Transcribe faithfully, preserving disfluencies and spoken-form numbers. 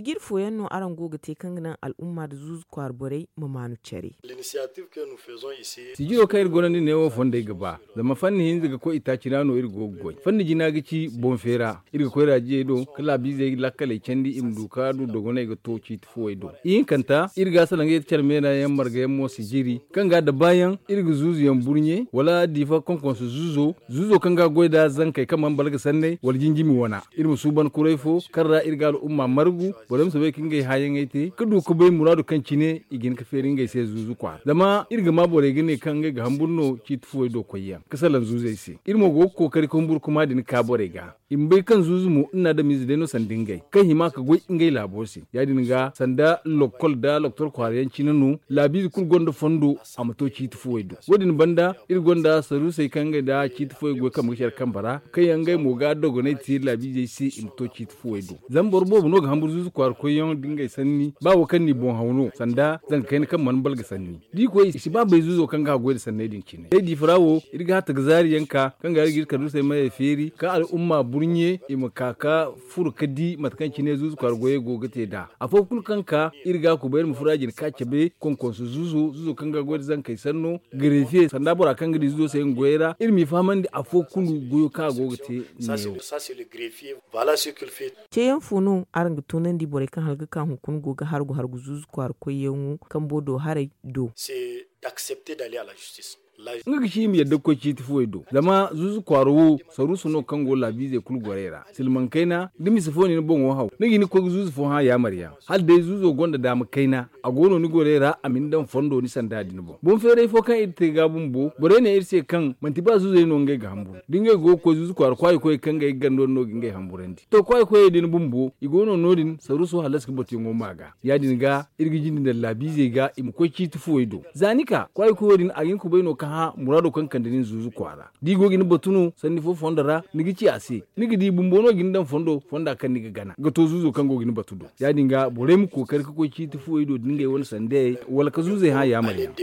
Sijiri fooyaŋ no araŋ go ga te kaŋ ga naŋ al'umma nda zuuzu kwaara borey ma maanu care. Sijiro kaŋ iri gonda nda neewo fondey ga ba, zama fanni hinza ga koy itaaci ra no iri go ga goy. Fanni jina ga ci boŋ feera. Iri ga koy raajiyey do ka laabiizey lakkaley candi i ma du ka du dogoney ga to ciiti fuwey do. Ihinkanta, iri ga salaŋ ga yeti care meera yaŋ marga yaŋ mo sijiri kaŋ ga dabaayaŋ iri ga zuuzuyaŋ burɲe wala diifa konkonso zuuzo, zuuzo kaŋ ga goy nda zankey kaŋ mana balga sanney wala jinjimi wana. Iri ma suuban kuray fo kaŋ ra iri ga al'umma margu, borey ma soobay ka ngey hããyaŋey te ka du ka bay muraadu kaŋ cine i ga hin ka feeri ngey se zuuzu kwaara. Zama iri ga ma borey ga ne kaŋ ngey ga hamburu no ciiti fuwey do koyyaŋ ka salaŋ zuuzey se. Iri mo go ga kookari ka humburu kuma din ka borey ga. I ma bay kaŋ zuuzu mo nna adamize day no sanda ngey kaŋ hima ka goy ngey laabo se. Ya-din ga sanda lokkol nda loktor kwaara yaŋ cine no laabiize kulu gonda fondo a ma to ciiti fuwey do. Wo-din banda iri gonda saruusey kaŋ ngey nda ciiti fuwey goy kambe ga care kambe ra kaŋ yaŋ ngey mo ga dogonay te laabiizey se i ma to ciiti fuwey do. Zama boro boobo no ga hamburu zuuzu kwaara koyyaŋ nda ngey sanni ba wo kaŋ n'i boŋ haw no sanda zanka kayna kaŋ mana balga sanni. Da i koy i si ba bay zuuzo kaŋ ga a goy nda sanney din cine day diifa ra wo iri ga hatta ga zaari yaŋ ka kaŋ ga iri ga iri kaduusey mayey feeri ka al'umma burɲe i ma ka ka furo ka di mate kaŋ cine zuuzu kwaara goyey go ga te nd'a. Afo kulu kaŋ ka iri ga a kubay iri ma furo a jina ka cabe konkonso zuuzo zuuzo kaŋ ga a goy nda zankey sanno gareefiye sanda bora kaŋ ga di zuuzo se nga goyey ra iri m'i fahamandi afo kulu goyo kaŋ a go ga te neewo. Ceeyaŋ fo no araŋ ga toonandi borey kaŋ hala ga ka hunkuna go ga hargu hargu zuuzu kwaara koyyaŋo kambo do haray do? Nga ga ci i ma yadda ga koy ciiti fuwey do zama zuuzu kwaara wo saruusu no kaŋ go laabiizey kulu gorey ra silmaŋ kayna da mise fo na ni boŋo haw ni ga hin ga koy ga zuuzu fo hã yaamar yaŋ hala day zuuzo gonda daama kayna a go no ni gorey ra a ma ni daŋ fondo ni sanda din boŋ boŋ feeray fo kaŋ iri te ga bumbo borey ne iri se kaŋ manti ba zuuzey no ngey ga hamburu da ngey go ga koy zuuzu kwaara kwaayi koyey kaŋ ngey ga ganda wane no ga ngey hamburandi to kwaayi koyey din bumbo i go no no- din saruuso hallas ga batuyaŋo ma ga ya-din ga iri ga jinde daŋ laabiizey ga i ma koy ciiti fuwey do za ni ka kwaayi koyo din a ga hin ga kubay no ka hã muraado kaŋ kande nin zuuzu kwaara da i go ga ni batu no sanni fo fondo ra ni ga ci a se ni ga di bumbo no ga ni daŋ fondo fonda kaŋ ni ga gana ga to zuuzo kaŋ go ga ni batu do ya-din ga borey ma kookari ga koy ciiti fuwey do da ngey wane sandayey wala ga zuuzey hã yaamar yaŋ.